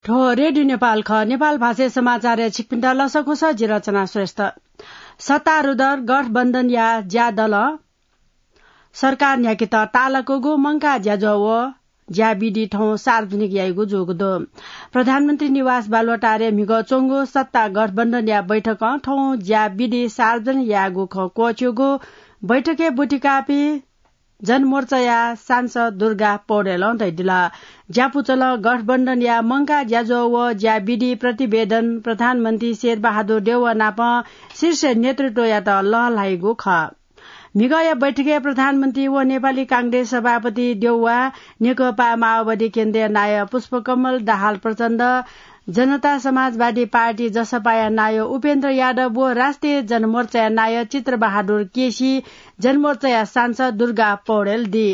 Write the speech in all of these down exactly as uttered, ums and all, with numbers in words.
थ्व रेडियो नेपाल खः। नेपाल भाषाय् समाचारय् छिकपिन्त लसकुस, जि रचना श्रेष्ठ। सत्तारूढ गठबन्धनया ज्यादलं सरकार न्ह्याकेत ताःलाकूगु मंकाः ज्याझ्वः व ज्याविधि थौं सार्वजनिक याइगु जूगु दु। प्रधानमन्त्री निवास बालुवाटारय् म्हिगः च्वंगु सत्ता गठबन्धनया बैठकं थौं ज्याविधि सार्वजनिक याःगु खँ क्वःछिउगु बैठकय् ब्वति काःपिं जनमोर्चाया सांसद दुर्गा पौडेलं धयादिल। ज्यापुचलं गठबन्धनया मंकाः ज्याझ्वः व ज्याविधि प्रतिवेदन प्रधानमन्त्री शेरबहादुर देउवा नाप शीर्ष नेतृत्वयात लःल्हाइगु खः। म्हिगःया बैठकय् प्रधानमन्त्री व नेपाली कांग्रेस सभापति देउवा, नेकपा माओवादी केन्द्रीय नायः पुष्पकमल दाहाल प्रचण्ड, जनता समाजवादी पार्टी जसपाया नायः उपेन्द्र यादव व राष्ट्रिय जनमोर्चाया नायः चित्रबहादुर केसी, जनमोर्चाया सांसद दुर्गा पौडेल दी।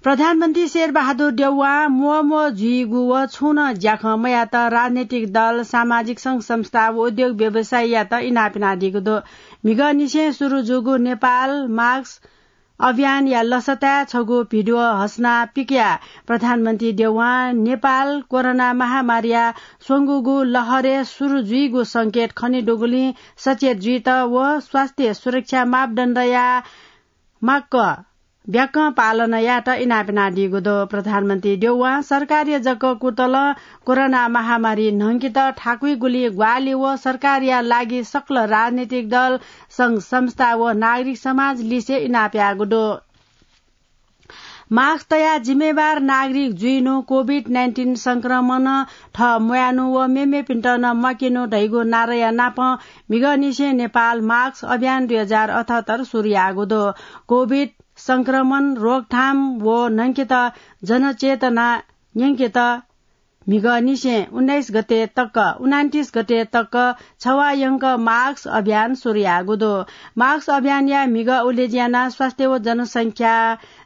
प्रधानमन्त्री शेरबहादुर देउवां म्वःम्वः जुइगु व छुं नं ज्याखँ मयात राजनैतिक दल, सामाजिक संघ संस्था व उद्योग व्यवसायीयात इनाप यानादीगु दु। म्हिगःनिसें सुरु जूगु नेपाल मास्क अभियानया लसताय् छगू भिडियो हसना पिकयाः प्रधानमन्त्री देउवां नेपाल कोरोना महामारीया स्वंगूगु लहरय् सुरु जुइगु संकेत खनेदुगुलिं सचेत जुइत व स्वास्थ्य सुरक्षा मापदण्डया माक्क ब्याकं पालन यायेत इनाप यानादीगु दु। प्रधानमन्त्री देउवां सरकारया जक कुतलं कोरोना महामारी न्हंकेत थाकुइगुलिं ग्वाहालि व सरकारया लागि सकल राजनैतिक दल, संघ संस्था व नागरिक समाज लिसे इनाप याःगु दु। मास्क तयाः जिम्मेवार नागरिक जुइनु, कोभिड नाइन्टिन संक्रमणं थः म्वायेनु व मेमेपिन्त नं म्वाकेनु धइगु नाराया नाप म्हिगःनिसें नेपाल मास्क अभियान दुई हजार अठहत्तर सुरु याःगु दु। कोभिड संक्रमण रोकथाम व न्हंकेत जनचेतना न्यंकेत म्हिगःनिसें उन्नाइस गते तक, उनान्तिस गते तक छवाः यंक मास्क अभियान सुरु याःगु दु। मास्क अभियानया म्हिगः उलेज्यानाः स्वास्थ्य व जनसंख्या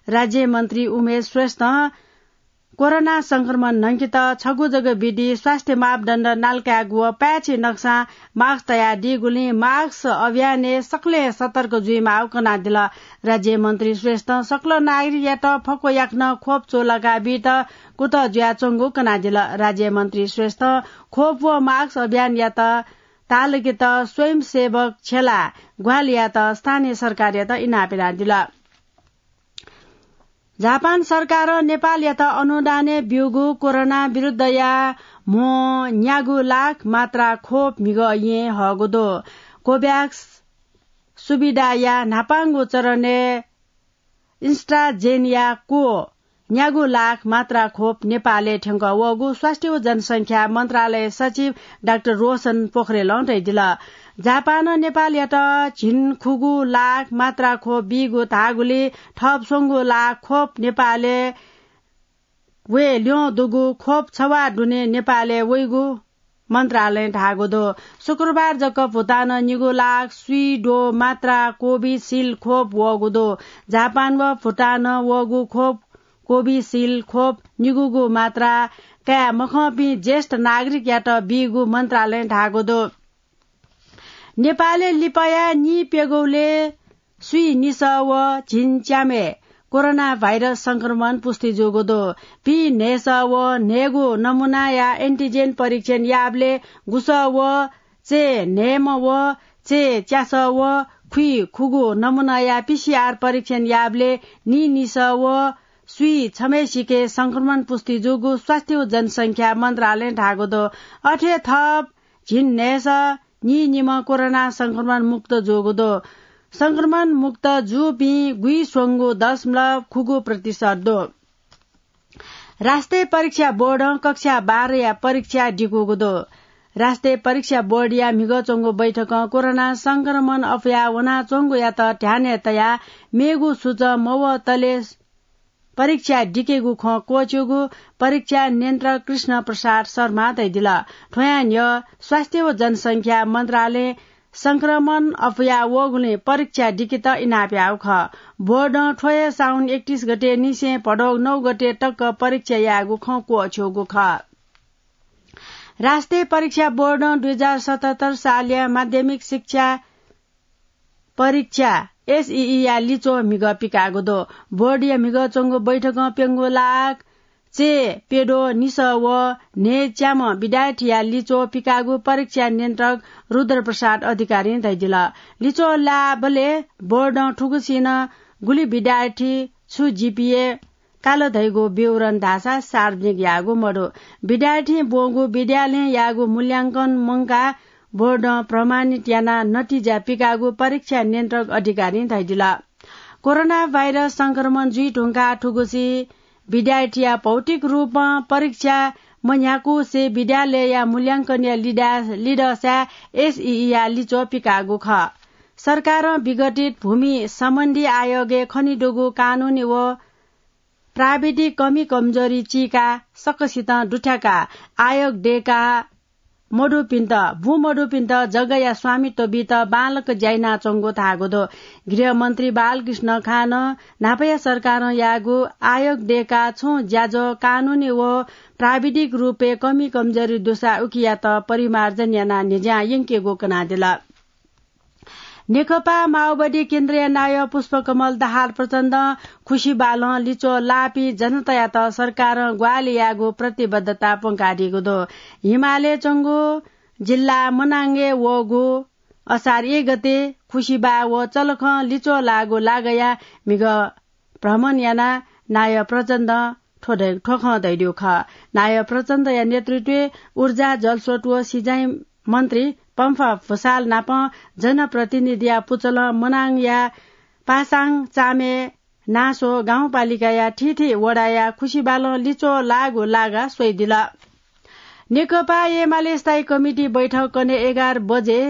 राज्यमन्त्री उमेश श्रेष्ठं कोरोना संक्रमण न्हंकेत छगू जक विधि स्वास्थ्य मापदण्ड नालाकायेगु व पाय्छि नकसां मास्क तयादीगुलिं मास्क अभियानय् सकलें सतर्क जुइमाःगु कनादिल। राज्यमन्त्री श्रेष्ठं सकल नागरिकयात फक्व याकनं खोप चूलाका बीत कुतः जुयाच्वंगु कनादिल। राज्यमन्त्री श्रेष्ठं खोप व मास्क अभियानयात ताःलाकेत स्वयंसेवक छ्यलाः ग्वाहालि यायेत स्थानीय सरकारयात इनाप यानादिल। जापान सरकारं नेपालयात अनुदानय् ब्यूगु कोरोना विरुद्धया म्हो न्यागू लाख मात्रा खोप म्हिगः येँ हःगु दु। कोभ्याक्स सुविधाया न्हापांगु चरणय् इन्स्ट्राजेनया क्व न्यागू लाख मात्रा खोप नेपालय् थ्यंकः वःगु स्वास्थ्य व जनसंख्या मन्त्रालय सचिव डाक्टर रोशन पोखरेलं धयादिल। जापानं नेपालयात झिंखुगू लाख मात्रा खोप बीगु धाःगुलिं थप स्वंगू लाख खोप नेपालय् वये ल्यं दुगु खोप छवाः दुने नेपालय् वइगु मन्त्रालयं धाःगु दु। शुक्रबार जक भुटानं निगू लाख स्वीद्वः मात्रा कोभिसिल्ड खोप वःगु दु। जापान व भुटानं वःगु खोप कोभिसिल्ड खोप निगूगु मात्रा काये मखंपिं ज्येष्ठ नागरिकयात बीगु मन्त्रालयं धाःगु दु। नेपालय् लिपाया नीप्यघौले स्वीनिस व झिंच्याम्हय् कोरोना भाइरस संक्रमण पुष्टि जूगु दु। पीन्हय्स व न्हय्गू नमुनाया एन्टिजेन परीक्षण याःबलय् गुस व चय्न्हय्म्ह व चय्च्यास व खुइखुगू नमुनाया पीसीआर परीक्षण याःबलय् नीनिस व स्वीछम्हय्सिके संक्रमण पुष्टि जूगु स्वास्थ्य व जनसंख्या मन्त्रालयं धाःगु दु। अथे थप झिंन्हय्स नीनिम्ह कोरोना संक्रमण मुक्त जूगु दु। संक्रमण मुक्त जूपिं गुइस्वंगू दशमलव खुगू प्रतिशत दु। राष्ट्रिय परीक्षा बोर्डं कक्षा बाह्रया परीक्षा दिकूगु दु। राष्ट्रिय परीक्षा बोर्डया म्हिगः च्वंगु बैठकं कोरोना संक्रमण अप्वया वनाच्वंगुयात ध्यानय् तयाः मेगु सूचं मवतले परीक्षा दिकेगु खँ क्वःछिउगु परीक्षा नियन्त्रक कृष्ण प्रसाद शर्मां धयादिल। थ्वयां न्ह्यः स्वास्थ्य व जनसंख्या मन्त्रालयं संक्रमण अप्वया वःगुलिं परीक्षा दिकेत इनाप याःगु खः। बोर्डं थ्व हे साउन एकतीस गते निसें भदौ नौ गते तक परीक्षा यायेगु खँ क्वःछिउगु खः। राष्ट्रिय परीक्षा बोर्डं दुई हजार सतहत्तर सालया माध्यमिक शिक्षा परीक्षा, एसईई या लिच्वः म्हिगः पिकाःगु दु। बोर्डया म्हिगः च्वंगु बैठकं प्यंगू लाख चे पेदो निसः व न्हय्च्याम्ह विद्यार्थीया लिच्वः पिकाःगु परीक्षा नियन्त्रक रुद्रप्रसाद अधिकारीं धयादिल। लिच्वः लाःबलय् बोर्डं थुगुसी नं गुलि विद्यार्थी छु जीपीए काल धइगु विवरण धाःसा सार्वजनिक याःगु मदु। विद्यार्थीं ब्वंगु विद्यालयं याःगु मूल्यांकन मंकाः बोर्डं प्रमाणित यानाः नतिजा पिकाःगु परीक्षा नियन्त्रक अधिकारीं धयादिल। कोरोना भाइरस संक्रमण जुइ धुंकाः थुगुसी विद्यार्थीया भौतिक रूपं परीक्षा मन्ह्याकुसे विद्यालयया मूल्यांकनया लिदा-, लिदःसाय् एसईईया लिच्वः पिकाःगु खः। सरकारं विघटित भूमि सम्बन्धी आयोगय् खनेदुगु कानूनी व प्राविधिक कमी कमजोरी चीकाः सकसितं दुथ्याकाः आयोग दय्काः मदुपिन्त, बूमदुपिन्त जग्गाया स्वामित्व बीत बांलाक ज्या यानाच्वंगु धाःगु दु। गृहमन्त्री बालकृष्ण खानं न्हापाया सरकारं याःगु आयोग दय्काः छुं ज्याझ्वः कानूनी व प्राविधिक रूपय् कमी कमजोरी दुसा उकियात परिमार्जन यानाः न्ह्यज्यां यंकेगु कनादिल। नेकपा माओवादी केन्द्रया नायः पुष्पकमल दाहाल प्रचण्डं खुसिबालं लिच्वः लाःपिं जनतायात सरकारं ग्वाहालि यायेगु प्रतिबद्धता प्वंकादीगु दु। हिमालय् च्वंगु जिल्ला मनाङय् वःगु असार एक गते खुसिबा व चलखं लिच्वः लाःगु लागाया म्हिगः भ्रमण यानाः नायः प्रचण्डं थ्व धै-, थ्व खँ धयादीगु खः। नायः प्रचण्डया नेतृत्वय् ऊर्जा, जलस्रोत व सिँचाइ मन्त्री पम्फा भुसाल नाप जनप्रतिनिधिया पुचलं मनाङया पासाङ, चामे, नासो गाउँपालिकाया थीथी वडाया खुसिबालं लिच्वः लाःगु लागा स्वयादिल। नेकपा एमाले स्थायी कमिटी बैठक कन्हय् एघार बजे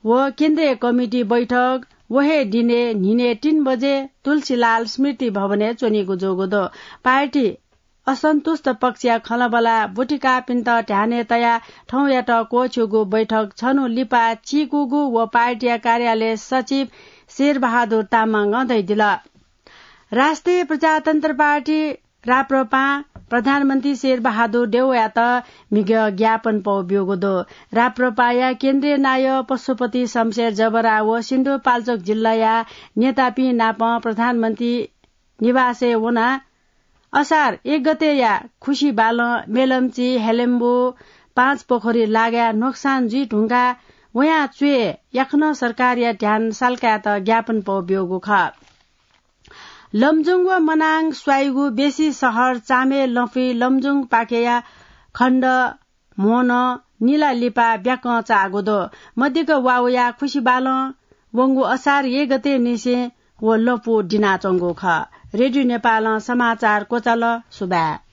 व केन्द्रीय कमिटी बैठक व हे दिने न्हिने तीन बजे तुलसीलाल स्मृति भवनय् च्वनीगु जूगु दु। पार्टी असन्तुष्ट पक्षया खँल्हाबल्हा ब्वतिकाःपिन्त ध्यानय् तयाः थौंयात क्वःछ्यूगु बैठक छन्हु लिपा चीकूगु व पार्टीया कार्यालय सचिव शेरबहादुर तामाङं धयादिल। राष्ट्रिय प्रजातन्त्र पार्टी राप्रपां प्रधानमन्त्री शेरबहादुर देउवायात म्हिगः ज्ञापन पौ ब्यूगु दु। राप्रपाया केन्द्रीय नायः पशुपति शमशेर जबरा व सिन्धुपाल्चोक जिल्लाया नेतापिं नाप प्रधानमन्त्री निवासय् वनाः असार एक गतेया खुसिबालं मेलम्ची, हेलेम्बु, पाँचपोखरी लागाय् नोक्सान जुइ धुंकाः वयां च्वय् याकनं सरकारया ध्यान साल्कायेत ज्ञापन पौ ब्यूगु खः। लमजुङ व मनाङ स्वाइगु बेसी शहर चामे लँपुइ लमजुङ पाखेया खण्ड म्होनं निला लिपा ब्याकं चाःगु दु। मदिक्क वाउया खुसिबालं वंगु असार एक गते निसें व लँपु दिनाच्वंगु खः। रेडियो नेपालं समाचार क्वचाल। सुभाय्।